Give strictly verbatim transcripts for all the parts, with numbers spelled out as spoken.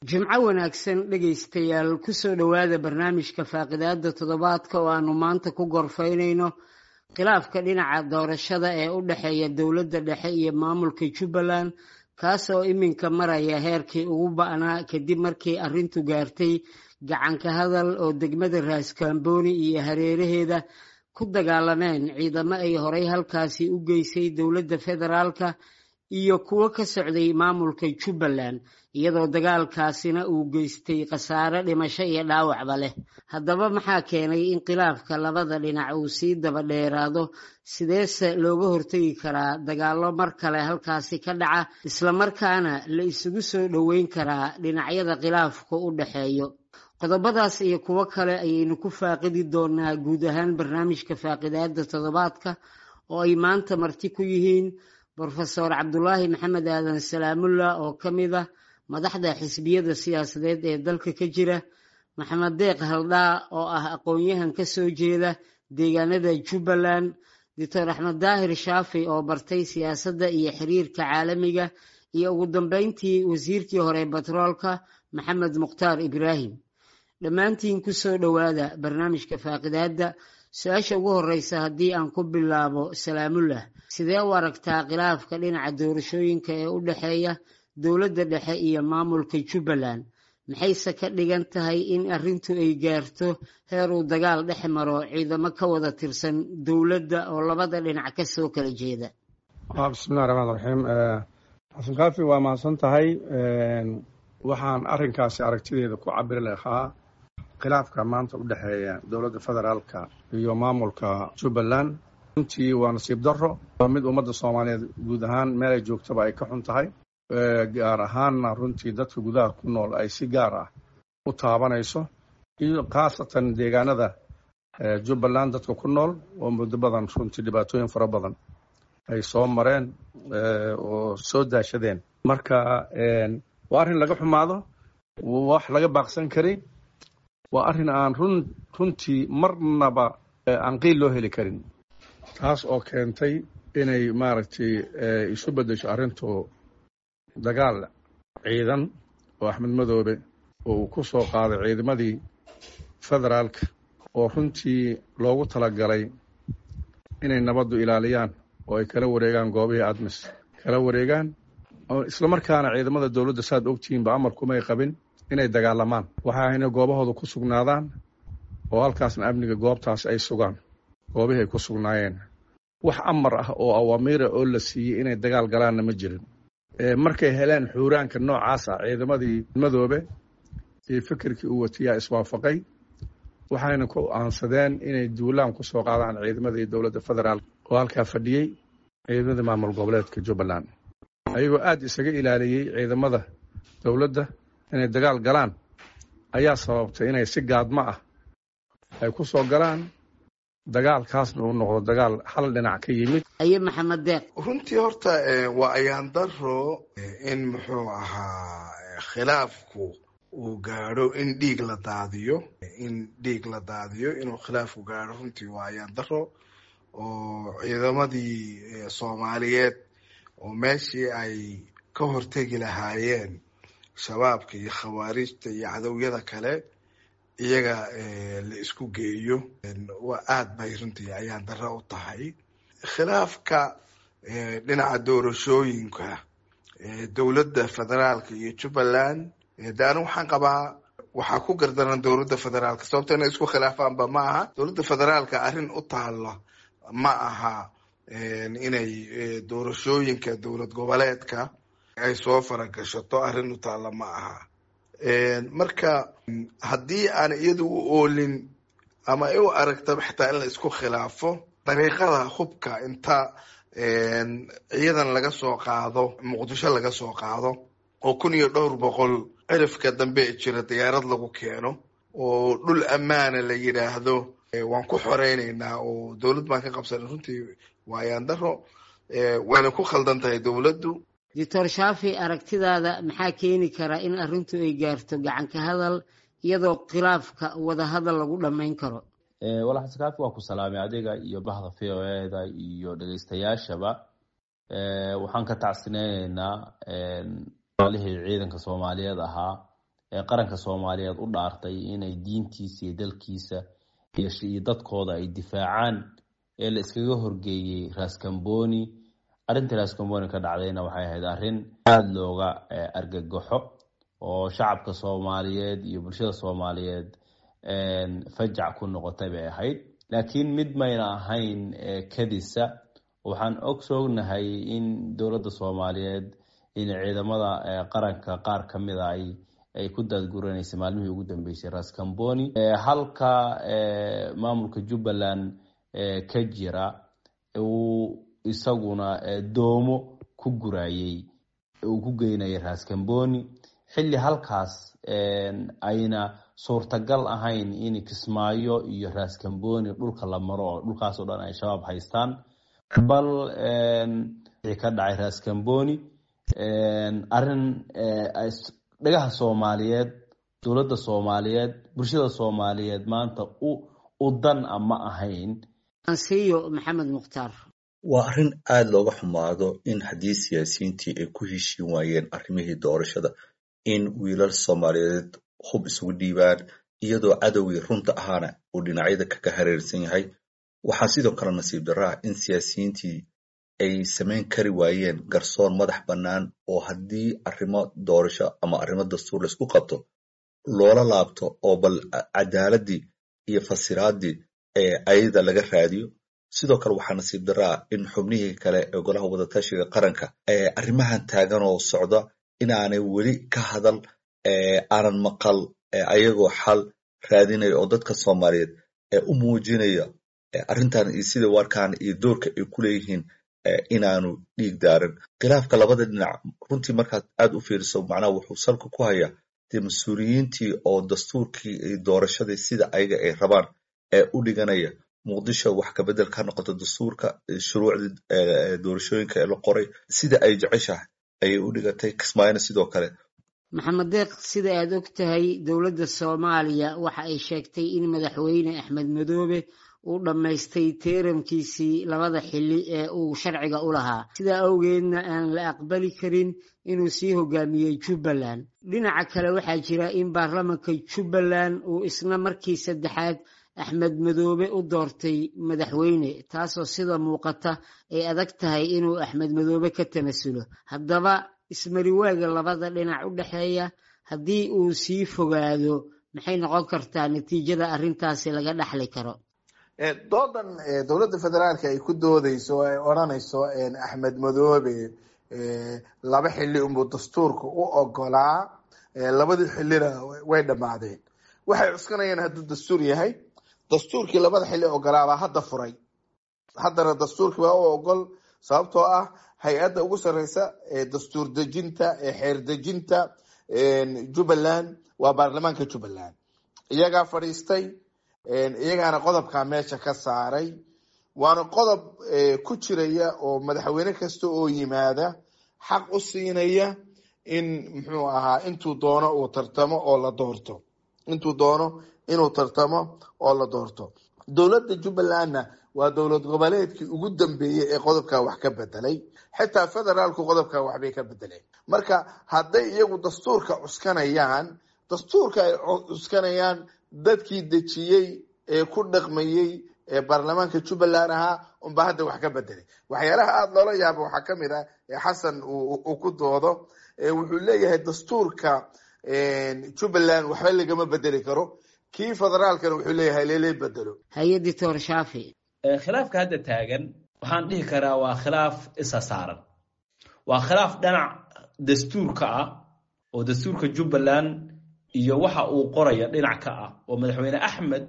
Jimco wanaagsan dhegaystayaal, kusoo dhowaada barnaamijka faaqidaada toddobaadka oo aanu maanta ku gorfaynayno khilaafka dhinaca doorashada ee u dhexeeya dowladda dhexe iyo maamulka Jubbaland, kaasoo iminka maraya heerkii ugu ba'naa kadib markii arrintu gaartay gacanka hadal oo degmada Raaskambooni iyo hareeraheeda ku dagaalameen ciidamo ay horay halkaasi u geysay dowladda federaalka iyo kuwo ka socday maamulka Jubbaland, iyadoo dagaalkaasina uu geystay khasaare dhimasho iyo dhaawacba leh. Haddaba maxaa keenay in khilaafka labada dhinac uu sii daba dheeraado? Sideese looga hortegi karaa dagaallo mar kale halkaasi ka dhaca, islamarkaana la isugu soo dhoweyn karaa dhinacyada khilaafku u dhexeeyo? Qodobadaas iyo kuwo kale ayaynu ku faaqidi doonaa guud ahaan barnaamijka faaqidaada toddobaadka oo ay maanta marti ku yihiin Brofesor Cabdulaahi Maxamed Aadan Salaamulla oo ka mid ah madaxda xisbiyada siyaasadeed ee dalka ka jira, Maxamed Deeq Haldhaa oo ah aqoon-yahan ka soo jeeda deegaanada Jubbaland, Doctor Axmed Daahir Shaafi oo bartay siyaasadda iyo xiriirka caalamiga, iyo ugu dambeyntii wasiirkii hore batroolka Maxamed Mukhtaar Ibraahim. Dhammaantiin kusoo dhowaada barnaamijka faaqidaadda. Su-aasha ugu horeysa haddii aan ku bilaabo Salaamullah, sidee u aragtaa khilaafka dhinaca doorashooyinka ee u dhexeeya dowladda dhexe iyo maamulka Jubbaland? Maxayse ka dhigan tahay in arrintu ay gaarto heer uu dagaal dhex maro ciidamo ka wada tirsan dowladda oo labada dhinac ka soo kala jeeda? Bismillahi raxmaan raxiim. Xasan Kaafi, waa mahadsan tahay. Waxaan arrinkaasi aragtideeda ku cabiri lahaa khilaafka maanta u dhexeeya dowladda federaalka iyo maamulka Jubbaland runtii waa nasiib darro, waa mid ummadda Soomaaliyeed guud ahaan meel ay joogtaba ay ka xun tahay, gaar ahaanna runtii dadka gudaha ku nool ay si gaar ah u taabanayso, iyo khaasatan deegaanada Jubbaland dadka ku nool oo muddo badan runtii dhibaatooyin fara badan ay soo mareen oo soo daashadeen. Marka waa arrin laga xumaado, wax laga baaqsan karay, waa arrin aan run runtii marnaba aan qiil loo heli karin, taas oo keentay inay maaragtay isu beddesho arrintu dagaal ciidan oo Axmed Madoobe oo uu ku soo qaaday ciidamadii federaalka oo runtii loogu talagalay inay nabaddu ilaaliyaan oo ay kala wareegaan goobihii ADMIS kala wareegaan, islamarkaana ciidamada dowladda saad ogtihiinba amar kumay qabin inay dagaalamaan, waxa ayna goobahooda ku sugnaadaan oo halkaasna amniga goobtaas ay sugaan goobihii ay ku sugnaayeen. Wax amar ah oo awaamiira oo la siiyey inay dagaal galaanna ma jirin. Markay heleen xuuraanka noocaas ah, ciidamadii Madoobe iyo fikirkii uu watiyaa iswaafaqay, waxayna ku aansadeen inay duulaan ku soo qaadaan ciidamadii dowladda federaalk oo halkaa fadhiyey, ciidamadii maamul goboleedka Jubbaland, ayagoo aada isaga ilaaliyey ciidamada dowladda inay dagaal galaan ayaa sababtay inay si gaadmo ah ay ku soo galaan, dagaalkaasna uu noqdo dagaal hal dhinac ka yimid. Aye, Maxamed Deeq. Runtii horta waa ayaan daro in muxuu ahaa khilaafku uu gaadho in dhiig la daadiyo, in dhiig la daadiyo inuu khilaafku gaadho runtii waa ayaan daro, oo ciidamadii Soomaaliyeed oo meeshii ay ka hortegi lahaayeen Shabaabka iyo Khawaarijta iyo cadowyada kale iyaga la isku geeyo, waa aad bay runtii ayaan darro u tahay. Khilaafka dhinaca doorashooyinka dowladda federaalka iyo Jubbaland, de anigu waxaan qabaa waxaa ku gardaran dowladda federaalka, sababto inay isku khilaafaanba ma aha. Dowladda federaalka arrin u taalla ma aha inay doorashooyinka dowlad goboleedka ay soo faragashato, arrin u taalla ma aha. Marka haddii aan iyadu u oolin ama ay u aragtaba xitaa in la isku khilaafo dariiqada hubka, inta ciidan laga soo qaado Muqdisho laga soo qaado oo kun iyo dhowr boqol cirifka dambe jira diyaarad lagu keeno oo dhul ammaana la yidhaahdo waan ku xoreyneynaa oo dowlad baan ka qabsanay, runtii waa ayaan daro, wayna ku khaldan tahay dowladdu. Doctor Shaafi, aragtidaada maxaa keeni kara in arrintu ay gaarto gacanka hadal iyadoo khilaafka wadahadal lagu dhammayn karo? Walaal Xasan Kaafi, waa ku salaamay adiga iyo bahda V O E da iyo dhegeystayaashaba. Waxaan ka tacsineyneynaa walaalihii ciidanka Soomaaliyeed ahaa Qaranka Soomaaliyeed u dhaartay inay diintiisa iyo dalkiisa iyo dadkooda ay difaacaan ee la iskaga horgeeyey Raskamboni. Arrintii Raskamboni ka dhacdayna waxay ahayd arrin aada looga argagaxo oo shacabka Soomaaliyeed iyo bulshada Soomaaliyeed fajac ku noqotay bay ahayd. Laakiin mid mayna ahayn kadisa. Waxaan ogsognahay in dowladda Soomaaliyeed in ciidamada qaranka qaar ka mid a ay ay ku daadguranaysay maalmihii ugu dambeysay Raskamboni, halka maamulka Jubbaland ka jira uu isaguna doomo ku gurayey uu ku geynayay Raskamboni, xilli halkaas ayna suurtagal ahayn in Kismaayo iyo Raskamboni dhulka la maro oo dhulkaas oo dhan ay shabaab haystaan. Bal wixii ka dhacay Raskamboni arrin dhagaha Soomaaliyeed, dowladda Soomaaliyeed, bulshada Soomaaliyeed maanta u u dan ama ahayn. Ansiyo Maxamed Mukhtaar. Waa arrin aada looga xumaado in haddii siyaasiyiintii ay ku heshiin waayeen arrimihii doorashada in wiilal Soomaaliyeed hub isugu dhiibaan, iyadoo cadowgii runta ahaana uu dhinacyada kaga hareersan yahay. Waxaa sidoo kale nasiib darro ah in siyaasiyiintii ay samayn kari waayeen garsoor madax bannaan oo haddii arrimo doorasho ama arrimo dastuur laisku qabto loola laabto oo bal cadaaladii iyo fasiraaddii ee ayada laga raadiyo. Sidoo kale waxaa nasiib darro ah in xubnihii kale ee golaha wadatashiga qaranka ee arrimahan taagan oo socda inaanay weli ka hadal, aanan maqal ayagoo xal raadinaya oo dadka Soomaaliyeed ee u muujinaya arrintan iyo sida warkaan iyo doorka ay ku leeyihiin inaanu dhiig daarin. Khilaafka labada dhinac runtii markaad aad u fiiriso, macnaha wuxuu salka ku hayaa dee mas-uuliyiintii oo dastuurkii iyo doorashadii sida ayaga ay rabaan ee u dhiganaya. Muqdisho wax ka bedel ka noqoto dastuurka, shuruucdii doorashooyinka ee la qoray sida ay jeceshahay ayay u dhigatay, Kismaayona sidoo kale. Maxamed Deeq, sida aad og tahay dowladda Soomaaliya waxa ay sheegtay in madaxweyne Axmed Madoobe uu dhammaystay teeramkiisii labada xilli ee uu sharciga u lahaa, sidaa awgeedna aan la aqbali karin inuu sii hogaamiyey Jubbaland. Dhinaca kale waxaa jira in baarlamanka Jubbaland uu isna markii saddexaad Axmed Madoobe u doortay madaxweyne, taasoo sida muuqata ay adag tahay inuu Axmed Madoobe ka tanasulo. Haddaba ismariwaaga labada dhinac u dhexeeya haddii uu sii fogaado, maxay noqon kartaa natiijada arrintaasi laga dhaxli karo? Doodan dowladda federaalka ay ku doodeyso oo ay odhanayso Axmed Madoobe laba xilli unbuu dastuurka u ogolaa, labadii xillina way dhammaadeen, waxay cuskanayaan hadduu dastuur yahay dastuurkii labada xilli ogolaabaa hadda furay, haddana dastuurkii baa u ogol, sababtoo ah hay-adda ugu sareysa ee dastuur dejinta ee xeer dejinta Jubbaland waa baarlamaanka Jubbaland. Iyagaa fadhiistay, iyagaana qodobkaa meesha ka saaray, waana qodob ku jiraya oo madaxweyne kasta oo yimaada xaq u siinaya in muxuu ahaa intuu doono uu tartamo oo la doorto, intuu doono inuu tartamo oo la doorto. Dowladda Jubbalandna waa dowlad goboleedkii ugu dambeeyey ee qodobkaa wax ka bedelay, xitaa federaalku qodobkaa waxbay ka bedeleen. Marka hadday iyagu dastuurka cuskanayaan, dastuurka ay cuskanayaan dadkii dejiyey ee ku dhaqmayey ee baarlamaanka Jubbaland ahaa unbaa hadda wax ka bedelay. Waxyaalaha aada loola yaabo waxaa ka mid ah ee Xasan uu ku doodo, wuxuu leeyahay dastuurka Jubbaland waxba lagama bedeli karo, kii federaalkana wuxuu leeyahay leele bedelo. Haye Doctor Shaafi. Khilaafka hadda taagan waxaan dhihi karaa waa khilaaf isa saaran, waa khilaaf dhinac dastuurka ah oo dastuurka Jubbaland iyo waxa uu qoraya dhinac ka ah, oo madaxweyne Axmed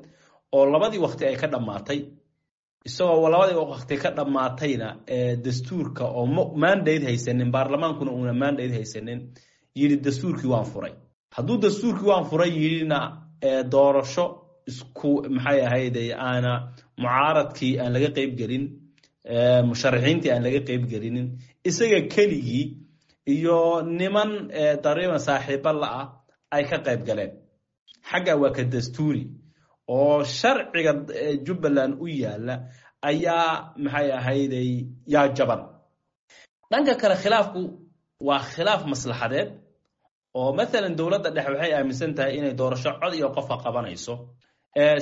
oo labadii waqti ay ka dhammaatay, isagoo labadii waqti ka dhammaatayna dastuurka oo mandate haysanin, baarlamaankuna uuna mandate haysanin, yidhi dastuurkii waan furay. Hadduu dastuurkii waan furay yidhina doorasho isku maxay ahayd aana mucaaradkii aan laga qayb gelin, musharaxiintii aan laga qayb gelinin, isaga keligii iyo niman dariiban saaxiibo la-ah ay ka qayb galeen. Xagga waa ka dastuuri oo sharciga Jubbaland u yaala ayaa maxay ahayday yaa jaban. Dhanka kale khilaafku waa khilaaf maslaxadeed Oo mathalan dowladda dhexe waxay aaminsan tahay inay doorasho cod iyo qofa qabanayso,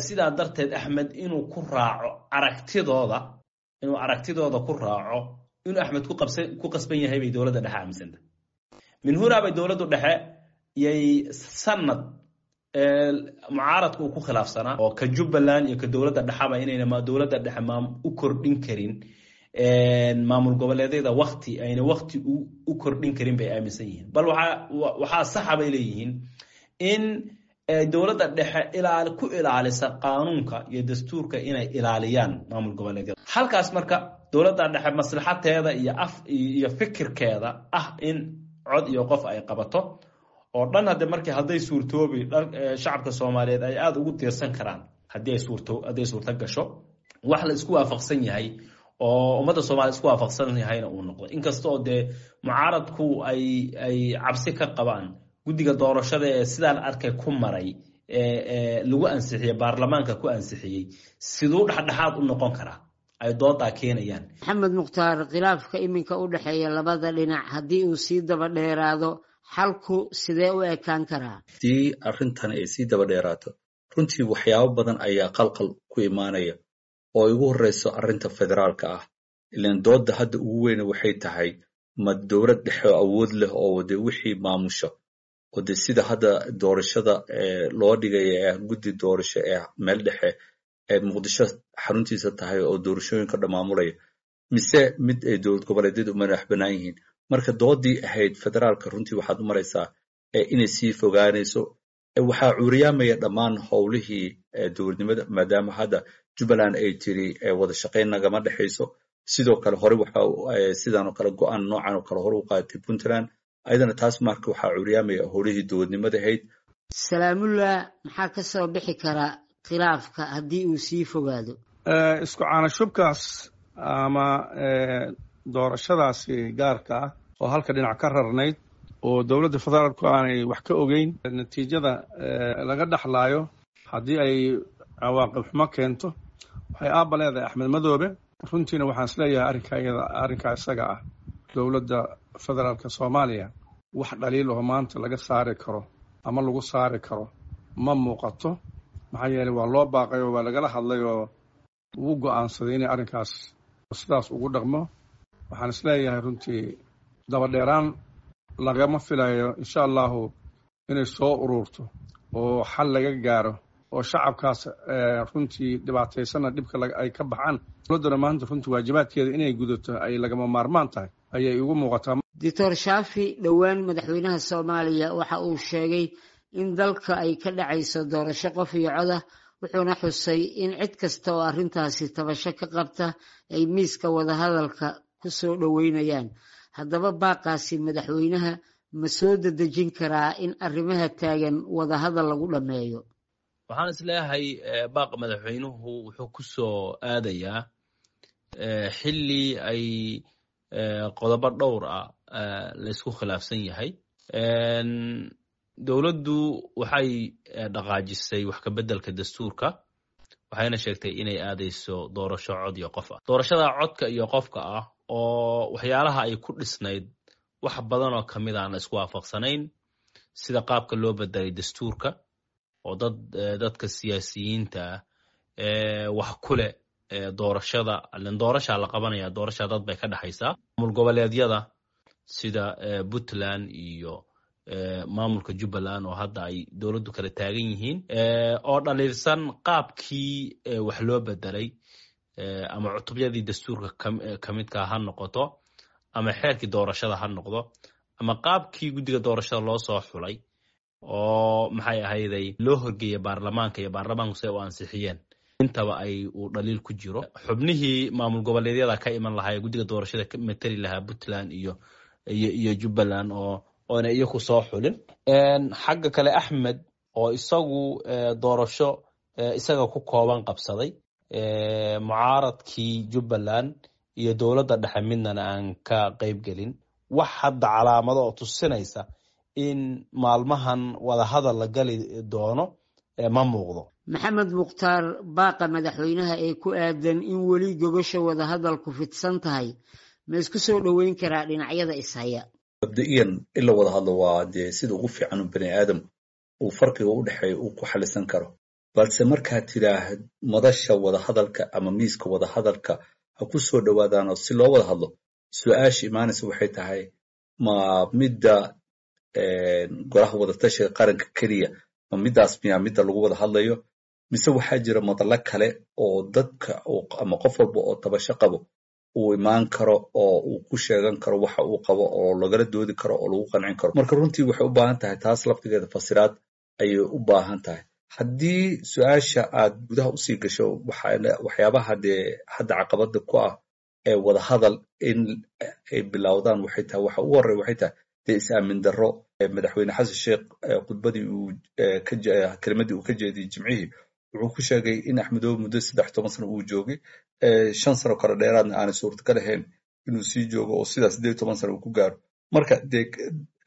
sidaa darteed Axmed inuu ku raaco aragtidooda, inuu aragtidooda ku raaco inuu Axmed ku qabsan ku qasban yahay bay dowladda dhexe aaminsan tahay. Min hunaa bay dowladdu dhexe yay sanad mucaaradku uu ku khilaafsanaa oo ka Jubbaland iyo ka dowladda dhexaba inayna dowladda dhexe maam u kordhin karin maamul goboleedyada waqti ayna waqti u kordhin karin bay aaminsan yihiin. Bal waxaa waxaa saxa bay leeyihiin in dowladda dhexe ilaali ku ilaalisa qaanuunka iyo dastuurka inay ilaaliyaan maamul goboleedyada. Halkaas marka dowladda dhexe maslaxateeda iyo af iyo fikirkeeda ah in cod iyo qof ay qabato oo dhan hadde markii hadday suurtoobi shacabka Soomaaliyeed ay aad ugu tiirsan karaan haddii ay suurto hadday suurto gasho wax la isku waafaqsan yahay oo ummadda Soomaaliya isku waafaqsan yahayna uu noqdo. Inkasta oo dee mucaaradku ay ay cabsi ka qabaan guddiga doorashada ee sidaan arkay ku maray ee lagu ansixiyey baarlamaanka ku ansixiyey siduu dhexdhexaad u noqon karaa ay doodaa keenayaan. Maxamed Mukhtaar, khilaafka iminka u dhexeeya labada dhinac haddii uu sii daba dheeraado xalku sidee u ekaan karaa? Haddii arrintan ay sii daba dheeraato runtii waxyaabo badan ayaa qalqal ku imaanaya oo ugu horreyso arrinta federaalka ah. Ilaan doodda hadda ugu weyne waxay tahay ma dowlad dhexe oo awood leh oo dee wixii maamusho oo dee sida hadda doorashada loo dhigaya ee guddi doorasho ee meel dhexe ee Muqdisho xaruntiisa tahay oo doorashooyinka dhammaamulaya, mise mid ay dowlad goboleedyadu u madax bannaan yihiin. Marka doodii ahayd federaalka runtii waxaad u maraysaa inay sii fogaanayso. Waxaa cuuriyaamaya dhammaan howlihii dowladnimada maadaama hadda Jubbaland ay tiri wada shaqayn nagama dhexayso. Sidoo kale hore waxa sidan oo kale go'aan noocan oo kale hore u qaadatay Puntland, ayadana taas marka waxaa cuuriyaamaya howlihii dowladnimada ahayd. Salaamullah, maxaa ka soo bixi kara khilaafka haddii uu sii fogaado? Isku caanashubkaas ama doorashadaasi gaarka ah oo halka dhinac ka rarnayd oo dowladda federaalku aanay wax ka ogeyn natiijada laga dhaxlaayo haddii ay cawaaqib xumo keento waxay aabba leedahay Axmed Madoobe. Runtiina waxaan isleeyahay arrinka iyada arrinkaa isaga ah dowladda federaalka Soomaaliya wax dhaliil oo maanta laga saari karo ama lagu saari karo ma muuqato. Maxaa yeelay waa loo baaqay oo waa lagala hadlay oo ugu go'aansaday inay arrinkaas sidaas ugu dhaqmo. Waxaan isleeyahay runtii dabadheeraan lagama filayo insha allahu inay soo ururto oo xal laga gaaro oo shacabkaas runtii dhibaataysanna dhibka ay ka baxaan. Dowladduna maanta runtii waajibaadkeeda inay gudato ay lagama maarmaan tahay ayay igu muuqataa. Doctor Shaafi, dhowaan madaxweynaha Soomaaliya waxa uu sheegay in dalka ay ka dhacayso doorasho qof iyo cod ah, wuxuuna xusay in cid kasta oo arrintaasi tabasho ka qabta ay miiska wadahadalka ku soo dhoweynayaan. Haddaba baaqaasi madaxweynaha ma soo dedejin karaa in arrimaha taagan wadahadal lagu dhammeeyo? Waxaan isleeyahay baaqa madaxweynuhu wuxuu ku soo aadayaa xilli ay qodobo dhowr ah laysku khilaafsan yahay. Dowladdu waxay dhaqaajisay wax ka beddelka dastuurka, waxayna sheegtay inay aadayso doorasho cod iyo qof ah. Doorashada codka iyo qofka ah oo waxyaalaha ay ku dhisnayd wax badan oo ka mid aan la isku waafaqsanayn, sida qaabka loo bedelay dastuurka oo dad dadka siyaasiyiinta ah wax ku leh doorashada, ilen doorashaa la qabanaya, doorashaa dad bay ka dhexaysaa. Maamul goboleedyada sida Puntland iyo maamulka Jubbaland oo hadda ay dowladdu kala taagan yihiin oo dhaliilsan qaabkii wax loo bedelay ama cutubyadii dastuurka ka midka ha noqoto ama xeerkii doorashada ha noqdo ama qaabkii guddiga doorashada loo soo xulay oo maxay ahayday loo horgeeyay baarlamaanka iyo baarlamaanku si ay u ansixiyeen, intaba ay uu dhaliil ku jiro. Xubnihii maamul goboleedyada ka iman lahaa ee guddiga doorashada ka matali lahaa Puntland iyo iyo iyo Jubbaland oo oona iyaku soo xulin. Xagga kale Axmed oo isagu doorasho isaga ku kooban qabsaday mucaaradkii Jubbaland iyo dowladda dhexe midnana aan ka qayb gelin, wax hadda calaamado oo tusinaysa in maalmahan wadahadal la gali doono ma muuqdo. Maxamed Mukhtaar, baaqa madaxweynaha ee ku aadan in weli gogosha wadahadalku fidsan tahay ma isku soo dhoweyn karaa dhinacyada ishaya? Mabda'iyan in la wada hadlo waa dee sida ugu fiican u bani aadam uu farqiga u dhexeeya uu ku xalisan karo, balse markaad tidhaahd madasha wadahadalka ama miiska wadahadalka ha ku soo dhowaadaanoo si loo wada hadlo, su-aasha imaanaysa waxay tahay ma midda golaha wadatashiga qaranka keliya, ma midaas miyaa midda lagu wada hadlayo, mise waxaa jira madallo kale oo dadka ama qof walba oo tabasho qabo uu imaan karo oo uu ku sheegan karo waxa uu qabo oo lagala doodi karo oo lagu qancin karo? Marka runtii waxay u baahan tahay taas laftigeeda fasiraad ayay u baahan tahay. Haddii su-aasha aad gudaha usii gasho, waxyaabaha dee hadda caqabada ku ah ee wadahadal in ay bilowdaan waxay tahay, waxa ugu horreya waxay tahay dee is-aamin darro. Madaxweyne Xasan Sheekh khudbadii uu kelimadii uu ka jeediyey Jimcihii wuxuu ku sheegay in Axmedoobe muddo saddex toban sano uu joogay, shan sano kale dheeraadna aanay suurtagal ahayn inuu sii joogo oo sidaas siddeed toban sano uu ku gaaro. Marka dee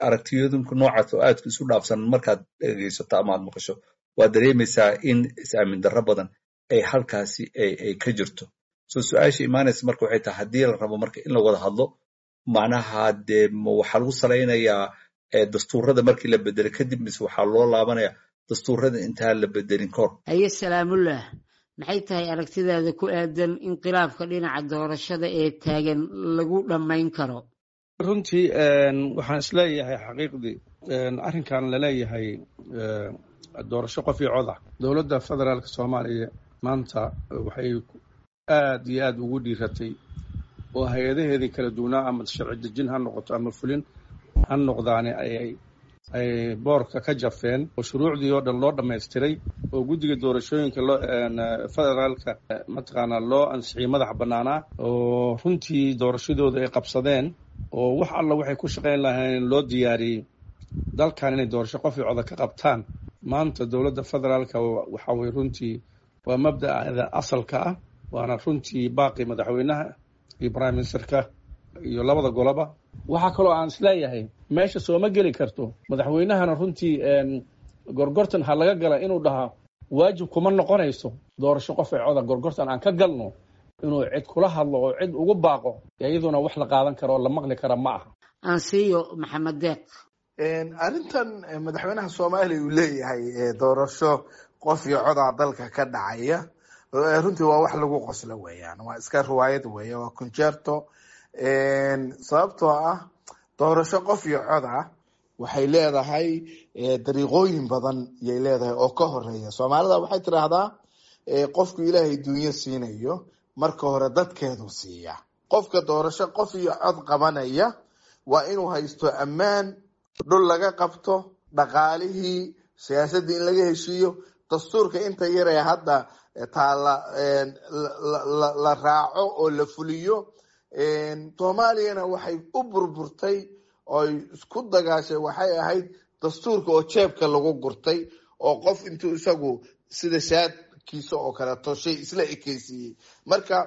aragtiyadunka noocaas oo aadka isu dhaafsan markaad dhegeysato ama aad maqasho, waad dareemaysaa in is-aamin darro badan ay halkaasi ay ka jirto. So su-aasha imaanaysa marka waxay tahay, haddii la rabo marka in la wada hadlo, macnaha dee ma waxaa lagu salaynayaa dastuurada markii la bedelay kadib, mise waxaa loo laabanaya dastuurada intaan la bedelin kahor? Haye Salaamullah, maxay tahay aragtidaada ku aadan in khilaafka dhinaca doorashada ee taagan lagu dhammayn karo? Runtii waxaan isleeyahay xaqiiqdii arrinkan laleeyahay doorasho qof iyo cod ah, dowladda federaalka Soomaaliya maanta waxay aad iyo aad ugu dhiiratay oo hay-adaheedii kala duwanaa, ama sharci dejin ha noqoto ama fulin ha noqdaane, ayay ay boorka ka jafeen oo shuruucdii oo dhan loo dhammaystiray oo guddiga doorashooyinka loo federaalka mataqaanaa loo ansixiyey madaxa bannaanaa, oo runtii doorashadooda ay qabsadeen oo wax alla waxay ku shaqayn lahayn loo diyaariyey dalkan inay doorasho qof iyo coda ka qabtaan. Maanta dowladda federaalka waxa weye runtii waa mabda'da asalka ah, waana runtii baaqi madaxweynaha iyo prime ministerka iyo labada goloba. Waxaa kaloo aan isleeyahay meesha sooma geli karto madaxweynahana runtii gorgortan ha laga gala inuu dhahaa waajib kuma noqonayso doorasho qof ee coda gorgortan aan ka galno inuu cid kula hadlo oo cid ugu baaqo, iyaduna wax la qaadan karo oo la maqli kara ma aha. Ansiyo Maxamed Deeq. Arrintan madaxweynaha Soomaaliya uu leeyahay doorasho qof iyo codaa dalka ka dhacaya, runtii waa wax lagu qoslo weeyaan, waa iska riwaayad weeye, waa concerto. Sababtoo ah doorasho qof iyo cod ah waxay leedahay dariiqooyin badan yay leedahay oo ka horeeya. Soomaalida waxay tiraahdaa qofku Ilaahay dunyo siinayo marka hore dadkeedu siiya. Qofka doorasho qof iyo cod qabanaya waa inuu haysto ammaan, dhul laga qabto, dhaqaalihii, siyaasaddii in laga heshiiyo, dastuurka inta yaree hadda taala la raaco oo la fuliyo. Soomaaliyana waxay u burburtay oy isku dagaashay waxay ahayd dastuurka oo jeebka lagu gurtay oo qof intuu isagu sida shaadkiisa oo kaleeto shay isla ekeysiiyey. Marka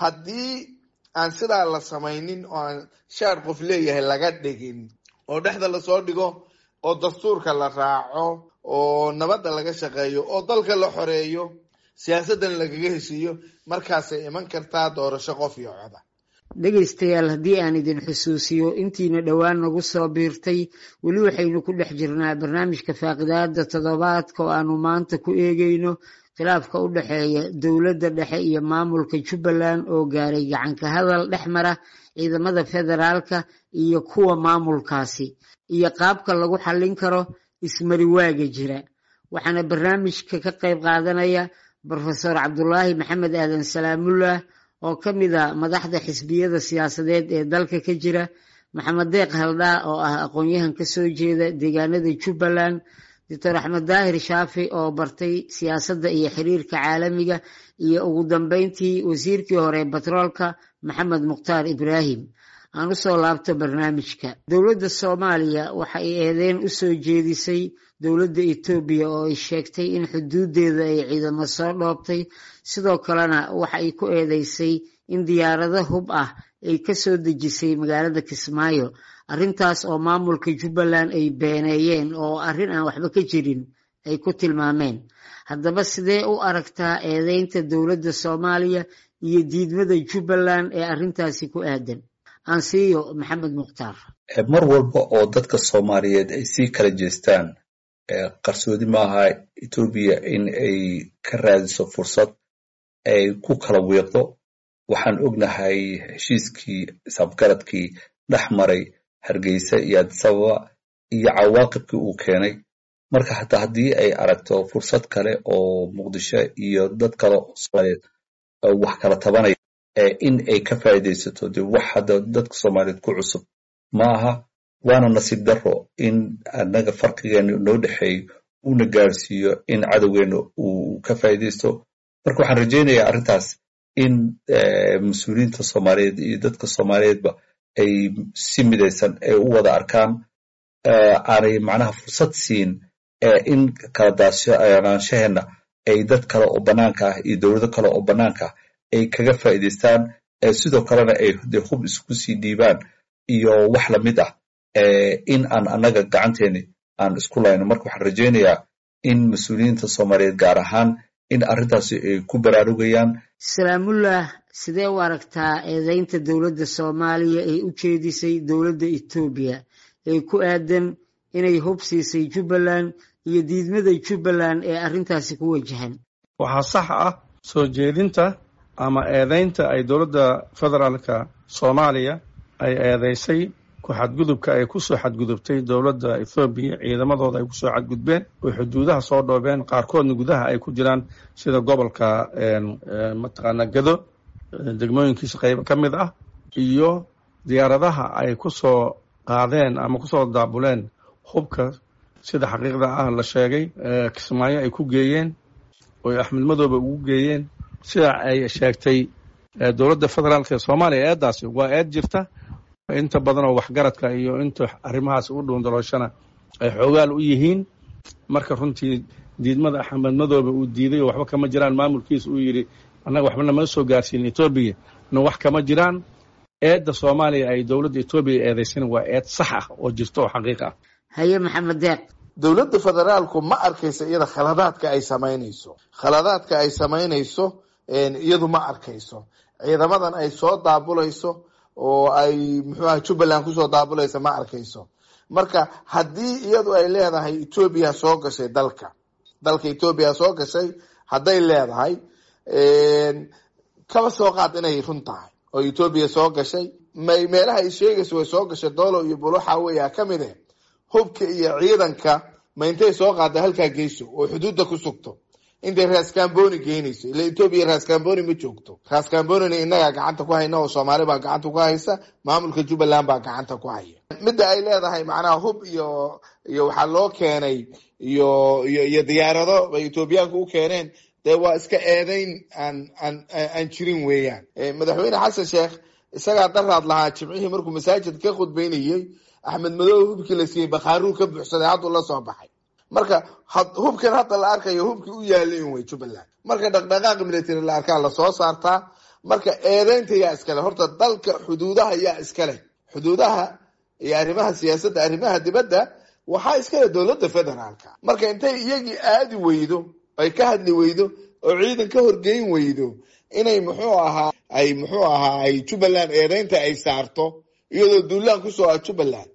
haddii aan sidaa la samaynin oo aan shaar qof leeyahay laga dhigin oo dhexda lasoo dhigo oo dastuurka la raaco oo nabadda laga shaqeeyo oo dalka la xoreeyo, siyaasaddan lagaga heshiiyo, markaasay iman kartaa doorasho qof iyo coda. Dhegaystayaal, haddii aan idin xusuusiyo intiina dhowaan nagu soo biirtay, weli waxaynu ku dhex jirnaa barnaamijka faaqidaada toddobaadka oo aanu maanta ku eegayno khilaafka u dhexeeya dowladda dhexe iyo maamulka Jubbaland oo gaaray gacanka hadal dhex mara ciidamada federaalka iyo kuwa maamulkaasi, iyo qaabka lagu xallin karo ismariwaaga jira. Waxaana barnaamijka ka qayb qaadanaya Brofesor Cabdulaahi Maxamed Aadan Salaamullah oo ka mid a madaxda xisbiyada siyaasadeed ee dalka ka jira, Maxamed Deeq Haldhaa oo ah aqoon-yahan ka soo jeeda deegaanada Jubbaland, Doctor Axmed Daahir Shaafi oo bartay siyaasadda iyo xiriirka caalamiga, iyo ugu dambeyntii wasiirkii hore batroolka Maxamed Mukhtaar Ibraahim. Aan usoo laabto barnaamijka. Dowladda Soomaaliya waxa ay eedeyn u soo jeedisay dowladda Etoobiya oo ay sheegtay in xuduudeeda ay ciidamo soo dhoobtay, sidoo kalena waxa ay ku eedeysay in diyaarado hub ah ay ka soo dejisay magaalada Kismaayo, arrintaas oo maamulka Jubbaland ay beeneeyeen oo arrin aan waxba ka jirin ay ku tilmaameen. Haddaba sidee u aragtaa eedeynta dowladda Soomaaliya iyo diidmada Jubbaland ee arrintaasi ku aadan? Ansiiyo Maxamed Mukhtaar. Mar walba oo dadka Soomaaliyeed ay sii kala jeestaan, qarsoodi maaha Etoobiya in ay ka raadiso fursad ay ku kala wiiqdo. Waxaan ognahay heshiiskii isafgaradkii dhex maray Hargeysa iyo Addis Ababa iyo cawaaqibkii uu keenay. Marka hataa haddii ay aragto fursad kale oo Muqdisho iyo dad kale oo Soomaaliyeed wax kala tabanaya in ay ka faa'iidaysato, dee wax hadda dadka Soomaaliyeed ku cusub ma aha. Waana nasiib darro in annaga farqigeena noo dhexeeyo uuna gaarsiiyo in cadowgeena uu ka faa'iidaysto. Marka waxaan rajaynayaa arrintaas in mas-uuliyiinta Soomaaliyeed iyo dadka Soomaaliyeedba ay si midaysan ay u wada arkaan, aanay macnaha fursad siin in kala daadsanaanshaheena ay dad kale oo bannaanka ah iyo dowlado kale oo bannaanka ah ay kaga faa'iidaystaan, sidoo kalena ay de hub isku sii dhiibaan iyo wax lamid ah in aan annaga gacanteeni aan isku layno. Marka waxaan rajaynayaa in mas-uuliyiinta Soomaaliyeed gaar ahaan in arrintaasi ay ku baraarugayaan. Salaamullah, sidee u aragtaa eedeynta dowladda Soomaaliya ay u jeedisay dowladda Etoobiya ee ku aadan inay hub siisay Jubbaland iyo diidmada Jubbaland ee arrintaasi ku wajahan? Waxaa sax ah soo jeedinta ama eedeynta ay dowladda federaalka Soomaaliya ay eedeysay ku xadgudubka ay kusoo xadgudubtay dowladda Ethoobiya, ciidamadooda ay kusoo xadgudbeen oo xuduudaha soo dhoobeen, qaarkoodna gudaha ay ku jiraan sida gobolka mataqaana Gado degmooyinkiisa qaybo ka mid ah, iyo diyaaradaha ay kusoo qaadeen ama kusoo daabuleen hubka sida xaqiiqda ah la sheegay Kismaayo ay ku geeyeen oo Axmed Madoobe ugu geeyeen sida ay sheegtay dowladda federaalka ee Soomaaliya. Eeddaasi waa eed jirta, inta badan oo waxgaradka iyo inta arrimahaas u dhuundalooshana ay xoogaal u yihiin. Marka runtii diidmada Axmed Madoobe uu diiday oo waxba kama jiraan maamulkiisa uu yidhi annaga waxba nama soo gaarsiin Etoobiya na wax kama jiraan, eedda Soomaaliya ay dowladda Etoobiya eedaysana waa eed sax ah oo jirta oo xaqiiq ah. Haye Maxamed Deeq. Dowladda federaalku ma arkaysa iyada khaladaadka ay samaynayso, khaladaadka ay samaynayso iyadu ma arkayso. Ciidamadan ay soo daabulayso oo ay muxuuaha Jubbaland kusoo daabulaysa ma arkayso. Marka haddii iyadu ay leedahay Etoobiya soo gashay dalka, dalka Etoobiya soo gashay hadday leedahay, kaba soo qaad inay run tahay oo Etoobiya soo gashay, may meelaha ay sheegayso way soo gashay Doolo iyo Buloxa weyaa ka mid eh, hubka iyo ciidanka ma intay soo qaada halkaa geyso oo xuduudda ku sugto intay Raaskamboni geynayso? Ila Etoobiya Raaskamboni ma joogto. Raaskambonina innagaa gacanta ku hayna oo Soomaali baa gacanta ku haysa, maamulka Jubbaland baa gacanta ku haya. Midda ay leedahay macnaha hub iyo iyo waxaa loo keenay iyo iyo iyo diyaarado bay Etoobiyaanku u keeneen, dee waa iska eedeyn aan aan aan jirin weeyaan. Madaxweyne Xasan Sheekh isagaa daraad lahaa jimcihii markuu masaajid ka khudbeynayey, Axmed Madoobe hubkii la siiyey bakhaaruu ka buuxsaday, hadduu la soo baxay. Marka hubkan hadda la arkayo hubkii u yaalin wey Jubbaland. Marka dhaqdhaqaaqa military la arkaa lasoo saartaa. Marka eedeynta yaa iskale horta, dalka xuduudaha yaa iskale, xuduudaha iyo arrimaha siyaasadda arrimaha dibadda waxaa iskale dowladda federaalka. Marka intay iyagii aadi weydo ay ka hadli weydo oo ciidan ka horgeyn weydo inay muxuu ahaa ay muxuu ahaa ay Jubbaland eedeynta ay saarto iyadoo duulaan kusoo ah Jubbaland,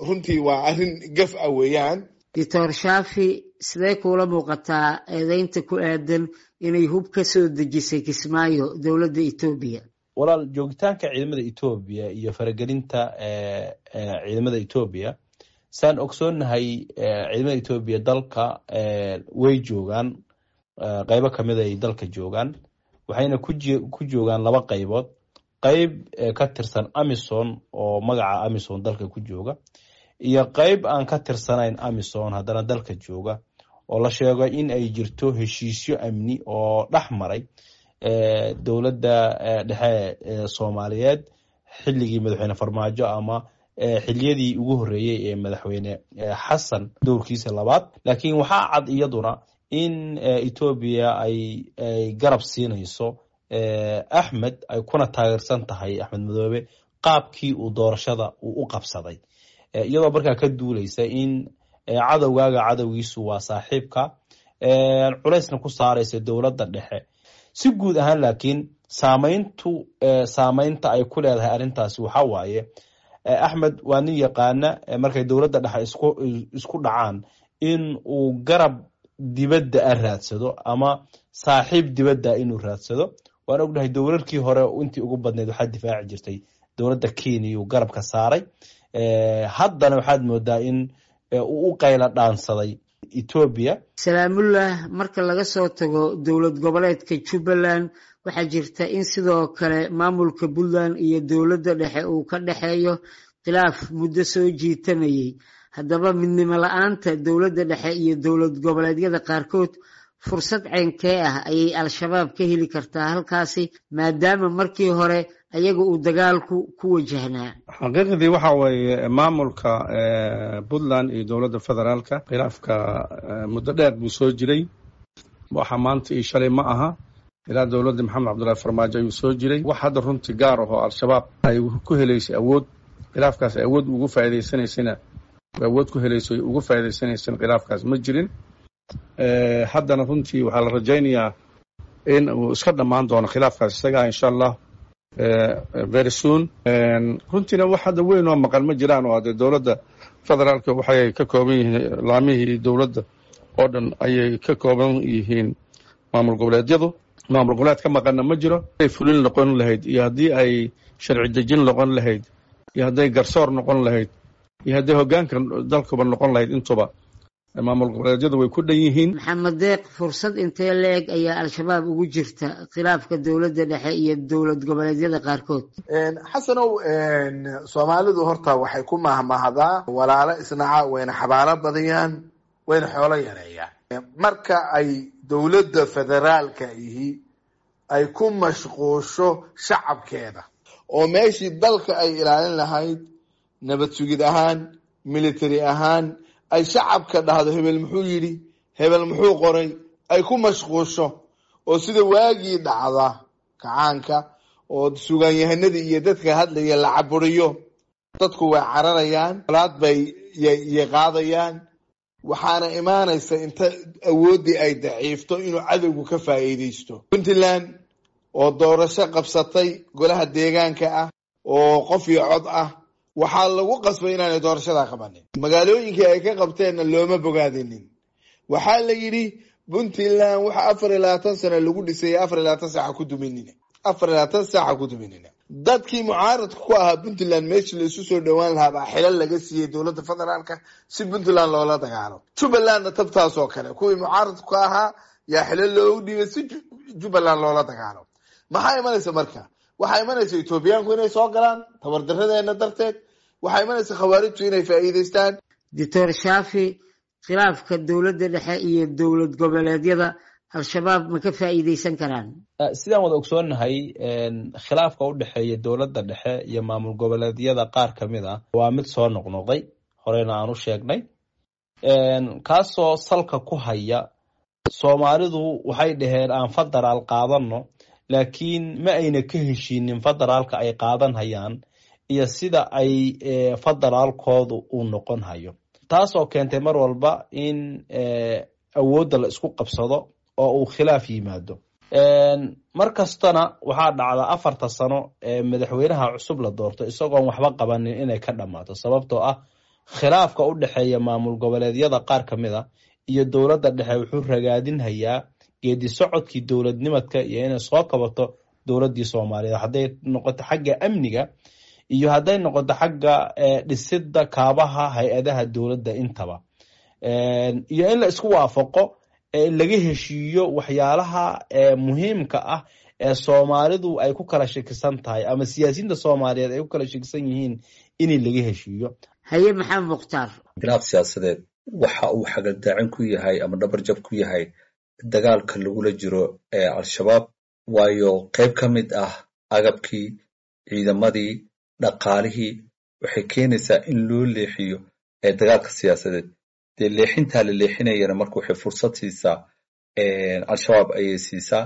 runtii waa arrin gaf ah weeyaan. Doctor Shaafi, sidee kuula muuqataa eedeynta ku aadan inay hub ka soo dejisay Kismaayo dowladda Etoobiya? Walaal, joogitaanka ciidamada Etoobiya iyo faragelinta ciidamada Etoobiya, saan ogsoonnahay ciidamada Etoobiya dalka way joogaan, qaybo kamid ay dalka joogaan, waxayna ku joogaan laba qaybood: qayb ka tirsan AMISOM oo magaca AMISOM dalka ku jooga, iyo qayb aan ka tirsanayn AMISOM haddana dalka jooga, oo la sheego in ay jirto heshiisyo amni oo dhex maray dowladda dhexe ee Soomaaliyeed xilligii madaxweyne Farmaajo ama xiliyadii ugu horreeyey ee madaxweyne Xasan dowrkiisa labaad. Laakiin waxaa cad iyaduna in Etoobiya ay ay garab siinayso Axmed, ay kuna taageersan tahay Axmed Madoobe qaabkii uu doorashada uu u qabsaday, iyadoo markaa ka duuleysa in cadowgaaga cadowgiisu waa saaxiibka, culaysna ku saaraysa dowladda dhexe si guud ahaan. Laakiin Saamayntu saamaynta ay ku leedahay arrintaasi waxaa waaye, Axmed waa nin yaqaana markay dowladda dhexe isku isku dhacaan in uu garab dibadda a raadsado ama saaxiib dibadda inuu raadsado. Waan ognahay dowlarkii hore intii ugu badnayd waxaa difaaci jirtay dowladda Kenya uu garabka saaray. Haddana waxaad moodaa in uu u qayla dhaansaday Etoobiya. Salaamullah, marka laga soo tago dowlad goboleedka Jubbaland, waxaa jirta in sidoo kale maamulka Puntland iyo dowladda dhexe uu ka dhexeeyo khilaaf muddo soo jiitamayay. Haddaba midnimo la-aanta dowladda dhexe iyo dowlad goboleedyada qaarkood fursad ceynkee ah ayay Al-Shabaab ka heli kartaa halkaasi, maadaama markii hore ayaga uu dagaalku ku wajahnaa? Xaqiiqdii waxa weeye, maamulka Puntland iyo dowladda federaalka khilaafka muddo dheer buu soo jiray. Waxa maanta iyo shalay ma aha, ilaa dowladda Maxamed Cabdullaahi Farmaajo ayuu soo jiray. Wax hadda runtii gaar ahoo Al-Shabaab ay ku helaysay awood, khilaafkaas ay awood ugu faa'iidaysanaysana, awood ku helayso ugu faa'iidaysanaysana khilaafkaas ma jirin. Haddana runtii waxaa la rajaynayaa in uu iska dhammaan doono khilaafkaas isagaa, insha Allah, very soon. Runtiina wax hadda weyn oo maqan ma jiraan, oo hadee dowladda federaalka waxay ka kooban yihiin laamihii dowladda oo dhan ayay ka kooban yihiin maamul goboleedyadu. Maamul goboleed ka maqanna ma jiro. Ay fulin noqon lahayd iyo haddii ay sharci dejin noqon lahayd iyo hadday garsoor noqon lahayd iyo hadday hoggaanka dalkuba noqon lahayd, intuba maamul goboleedyadu way ku dhan yihiin. Maxamed Deeq, fursad intee la-eg ayaa Al-Shabaab ugu jirta khilaafka dowladda dhexe iyo dowlad goboleedyada qaarkood? Xasanow, Soomaalidu horta waxay ku mahmahdaa walaalo isnaca wayna xabaalo badiyaan wayna xoolo yareeyaan. Marka ay dowladda federaalka ihi ay ku mashquusho shacabkeeda oo meeshii dalka ay ilaalin lahayd nabad sugid ahaan, military ahaan, ay shacabka dhahdo hebel muxuu yidhi, hebel muxuu qoray, ay ku mashquusho oo sida waagii dhacda kacaanka oo sugaanyahanadii iyo dadka hadlaya la caburiyo, dadku way cararayaan, colaad bay yay qaadayaan. Waxaana imaanaysa inta awooddii ay daciifto inuu cadowgu ka faa'iidaysto. Puntland oo doorasho qabsatay golaha deegaanka ah oo qof iyo cod ah, waxaa lagu qasbay inaanay doorashadaa qabanin. Magaalooyinkii ay ka qabteenna looma bogaadinin. Waxaa la yidhi Puntland waxa afar iyo labaatan sano lagu dhisayay afar iyo labaatan saaca ku duminina, afar iyo labaatan saaca ku duminina. Dadkii mucaaradka ku ahaa Puntland meeshii la isu soo dhowaan lahaa baa xilal laga siiyey dowladda federaalka si Puntland loola dagaalo. Jubbalandna tabtaas oo kale, kuwii mucaaradka ku ahaa yaa xilal loogu dhiibay si Jubbaland loola dagaalo. Maxaa imanaysa marka? Waxaa imanaysa Etoobiyaanku inay soo galaan tabardaradeena darteed. Waxaa imanaysa khawaarijtu inay faa'iidaystaan. Doctor Shaafi, khilaafka dowladda dhexe iyo dowlad goboleedyada Al-Shabaab ma ka faa'iidaysan karaan? Sidaan wada ogsoonnahay, khilaafka u dhexeeya dowladda dhexe iyo maamul goboleedyada qaar ka mid ah waa mid soo noqnoqday, horeyna aan u sheegnay, kaasoo salka ku haya Soomaalidu waxay dhaheen aan federaal qaadano, laakiin ma ayna ka heshiinin federaalka ay qaadan hayaan iyo sida ay federaalkoodu uu noqon hayo, taasoo keentay mar walba in awoodda la isku qabsado oo uu khilaaf yimaado. Mar kastana waxaa dhacda afarta sano ee madaxweynaha cusub la doorto isagoon waxba qabanin inay ka dhammaato, sababtoo ah khilaafka u dhexeeya maamul goboleedyada qaar ka mid a iyo dowladda dhexe wuxuu ragaadinhayaa geedi socodkii dowladnimadka iyo inay soo kabato dowladdii Soomaaliyeed, hadday noqoto xagga amniga iyo hadday noqoto xagga dhisidda kaabaha hay-adaha dowladda intaba, iyo in la isku waafaqo, laga heshiiyo waxyaalaha muhiimka ah ee Soomaalidu ay ku kala shakisan tahay ama siyaasiyiinta Soomaaliyeed ay ku kala shakisan yihiin in laga heshiiyo. Haye, Maxamed Mukhtaar. Khilaaf siyaasadeed waxa uu xagaldaacin ku yahay ama dhabarjab ku yahay dagaalka lagula jiro ee Al-Shabaab, waayo qayb ka mid ah agabkii ciidamadii, dhaqaalihii waxay keenaysaa in loo leexiyo ee dagaalka siyaasadeed. Dee leexintaa la leexinayana marka waxay fursad siisaa Al-Shabaab ayay siisaa,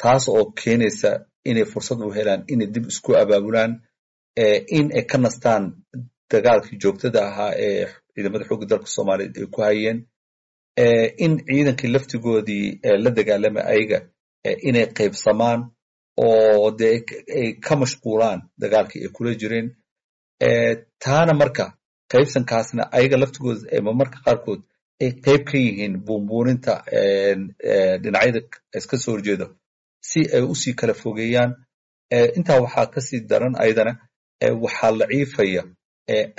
taas oo keenaysa inay fursad u helaan inay dib isku abaabulaan, in ay ka nastaan dagaalkii joogtada ahaa ee ciidamada xoogga dalka Soomaaliyeed ay ku hayeen, in ciidankii laftigoodii la dagaalamay ayaga inay qaybsamaan. Oo dee ay ka mashquulaan dagaalkii ay kula jireen. Taana marka qaybsankaasna ayaga laftigooda marmarka qaarkood ay qayb ka yihiin buunbuuninta dhinacyada iska soo horjeeda si ay usii kala fogeeyaan. Intaa waxaa kasii daran, ayadana waxaa laciifaya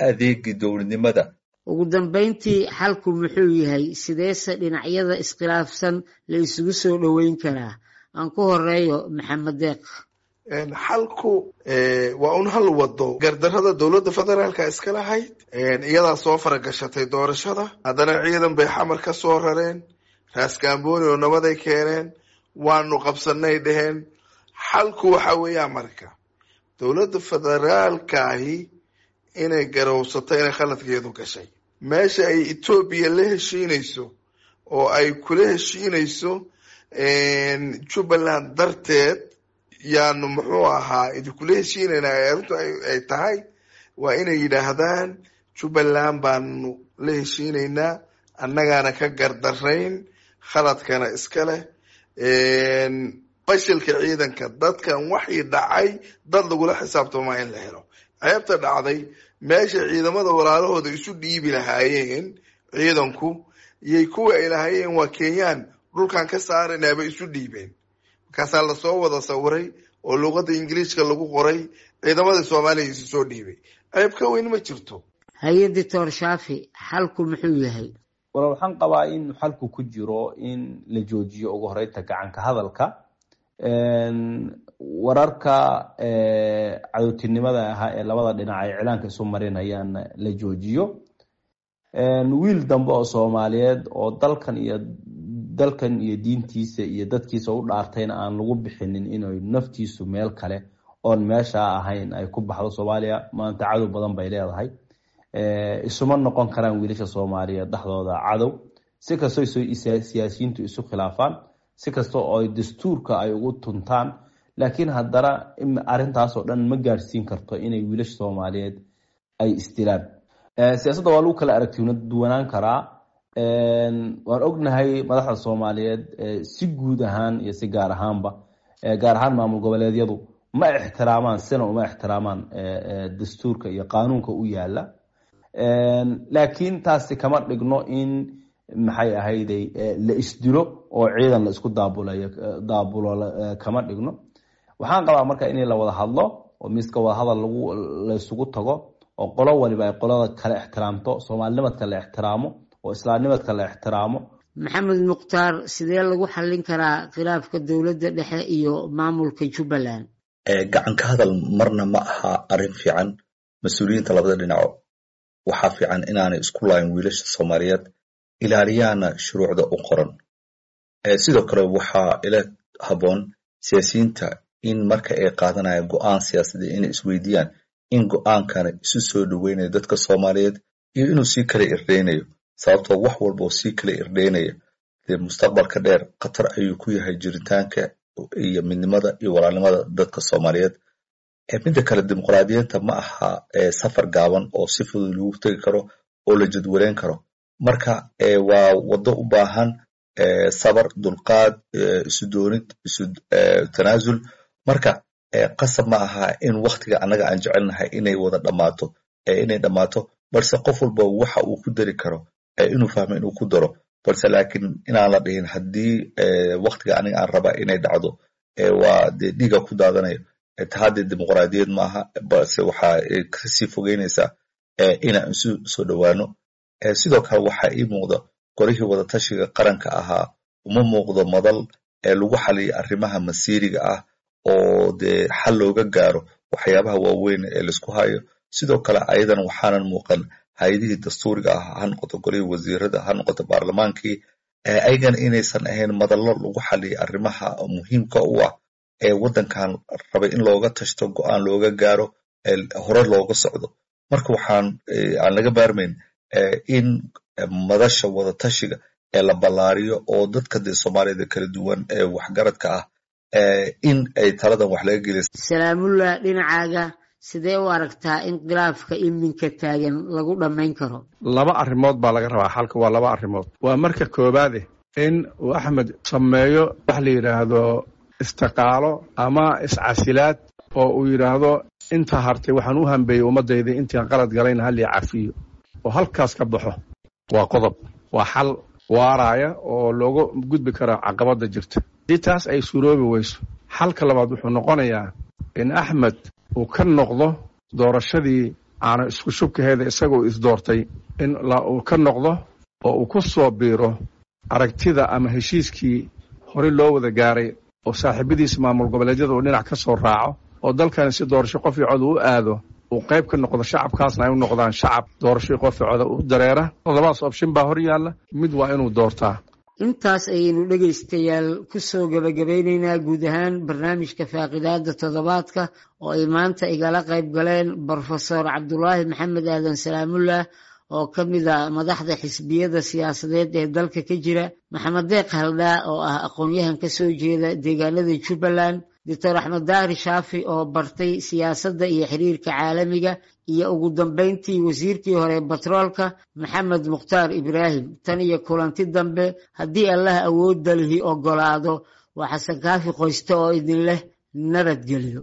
adeegii dowladnimada. Ugu dambayntii, xalku muxuu yahay? Sideese dhinacyada iskhilaafsan la isugu soo dhoweyn karaa? Aan ku horeeyo Maxamed Deeq. Xalku waa un hal wado. Gardarrada dowladda federaalka iska lahayd, iyadaa soo faragashatay doorashada. Haddana ciidan bay Xamar ka soo rareen, Raaskambooni oo nabaday keeneen, waanu qabsanay dheheen. Xalku waxa weeyaan marka dowladda federaalkaahi inay garowsato inay khaladkeedu gashay. Meesha ay Etoobiya la heshiinayso oo ay kula heshiinayso Jubbaland darteed yaanu muxuu ahaa idinkula heshiinaynaa, arrintu ay tahay, waa inay yidhaahdaan Jubbaland baanu la heshiinaynaa, annagaana ka gardarayn, khaladkana iska leh, fashilka ciidanka dadkan waxii dhacay dad lagula xisaabtamaa in la helo. Ceebta dhacday, meesha ciidamada walaalahooda isu dhiibi lahaayeen ciidanku yay kuwa ay lahaayeen waa Kenyaan dhulkan ka saaranaaba isu dhiibeen. Markaasaa lasoo wada sawiray oo luuqadda Ingiliishka lagu qoray, ciidamada Soomaaliya isu soo dhiibay. Ceeb ka weyn ma jirto. Haye, Doctor Shaafi, xalku muxuu yahay? Walaal, waxaan qabaa in xalku ku jiro in la joojiyo ugu horeynta gacanka hadalka, wararka cadowtinimada ahaa ee labada dhinac ay iclaanka isu marinayaan la joojiyo. Wiil dambe oo Soomaaliyeed oo dalkan iyo dalkan iyo diintiisa iyo dadkiisa u dhaartayna aan lagu bixinin inay naftiisu meel kale oon meesha ahayn ay ku baxdo. Soomaaliya maanta cadow badan bay leedahay. Isuma noqon karaan wiilasha Soomaaliyeed dhexdooda cadow, si kastoo siyaasiyiintu isu khilaafaan, si kasta oo ay dastuurka ay ugu tuntaan, laakiin haddana arrintaasoo dhan ma gaadhsiin karto inay wiilasha Soomaaliyeed ay isdilaan. Siyaasadda waa lagu kala aragti duwanaan karaa. Waan ognahay madaxda Soomaaliyeed si guud ahaan iyo si gaar ahaanba, gaar ahaan maamul goboleedyadu, ma ixtiraamaan, sina uma ixtiraamaan dastuurka iyo qaanuunka u yaala. Laakiin taasi kama dhigno in maxay ahayday la isdilo oo ciidan la isku daabulayo daabulo kama dhigno. Waxaan qabaa marka in la wada hadlo oo miiska wadahadal lagu laysugu tago oo qolo waliba ay qolada kale ixtiraamto, soomaalinimadka la ixtiraamo oo islaamnimadka la ixtiraamo. Maxamed Mukhtaar, sidee lagu xallin karaa khilaafka dowladda dhexe iyo maamulka Jubbaland? Gacan ka hadal marna ma aha arrin fiican. Mas-uuliyiinta labada dhinaco waxaa fiican inaanay isku laayin wiilasha Soomaaliyeed, ilaaliyaana shuruucda u qoran. Sidoo kale waxaa ila habboon siyaasiyiinta in marka ay qaadanayaan go-aan siyaasadeed inay isweydiiyaan in go-aankana isu soo dhoweynayo dadka Soomaaliyeed iyo inuu sii kala irdheynayo, sababtoo wax walba oo sii kala irdheynaya dee mustaqbalka dheer khatar ayuu ku yahay jiritaanka iyo midnimada iyo walaalnimada dadka Soomaaliyeed. Midda kale, dimuqraadiyiinta ma aha safar gaaban oo si fudud lagu tegi karo oo la jadwaleyn karo. Marka waa waddo u baahan sabar, dulqaad, isu doonid, isu tanaasul. Marka qasab ma aha in waktiga annaga aan jecelnahay inay wada dhammaato inay dhammaato, balse qof walba waxa uu ku dari karo inuu fahmo inuu ku daro, balse laakiin inaan la dhihin haddii waktiga aniga aan raba inay dhacdo waa dee dhiiga ku daadanayo. Tahaddee dimuqraadiyad maaha, balse waxaa kasii fogeynaysaa inaan isu soo dhowaano. Sidoo kale waxaa ii muuqda golihii wadatashiga qaranka ahaa uma muuqdo madal lagu xaliyo arrimaha masiiriga ah oo dee xal looga gaaro waxyaabaha waaweyn ee laisku hayo. Sidoo kale ayadan waxaanan muuqan hay-adihii dastuuriga ah, ha noqoto golihii wasiirada, ha noqoto baarlamaankii, ayagana inaysan ahayn madallo lagu xaliyo arrimaha muhiimka u ah ee waddankan rabay in looga tashto, go-aan looga gaaro, hore looga socdo. Marka waxaan aan laga baarmayn in madasha wadatashiga ee la ballaariyo oo dadka dee Soomaaliyada kala duwan ee waxgaradka ah in ay taladan wax laga geliya. Salaamullah, dhinacaaga sidee u aragtaa in khilaafka iminka taagan lagu dhammayn karo? Laba arrimood baa laga rabaa xalka, waa laba arrimood. Waa marka koowaade in uu Axmed sameeyo wax la yidhaahdo Istiqaalo ama iscasilaad oo uu yidhaahdo inta hartay waxaan u hambeeyey ummaddayda, intaan qalad galayna halii cafiyo, oo halkaas ka baxo, waa qodob, waa xal waaraaya oo looga gudbi karaa caqabadda jirta. Haddii taas ay suuroobi weyso, xalka labaad wuxuu noqonayaa in Axmed uu ka noqdo doorashadii aana isku shubkaheeda isagoo isdoortay, in uu ka noqdo oo uu ku soo biiro aragtida ama heshiiskii horey loo wada gaaray, oo saaxiibadiisa maamul goboleedyada uu dhinac ka soo raaco, oo dalkani si doorasho qof iyo cod uu aado, uu qayb ka noqdo, shacabkaasna ay u noqdaan shacab doorasho qof iyo coda u dareera. Labadaas option baa hor yaalla, mid waa inuu doortaa. Intaas ayaynu dhegaystayaal kusoo gabagabeyneynaa guud ahaan barnaamijka faaqidaada toddobaadka oo ay maanta igala qayb galeen Brofesor Cabdulaahi Maxamed Aadan Salaamullah oo ka mid a madaxda xisbiyada siyaasadeed ee dalka ka jira, Maxamed Deeq Haldhaa oo ah aqoon-yahan ka soo jeeda deegaanada Jubbaland, Doctor Axmed Daahir Shaafi oo bartay siyaasadda iyo xiriirka caalamiga, iyo ugu dambeyntii wasiirkii hore batroolka Maxamed Mukhtaar Ibraahim. Tan iyo kulanti dambe, haddii Allah awoodda lihi ogolaado, waa Xasan Kaafi Qoyste oo idin leh nabadgelyo.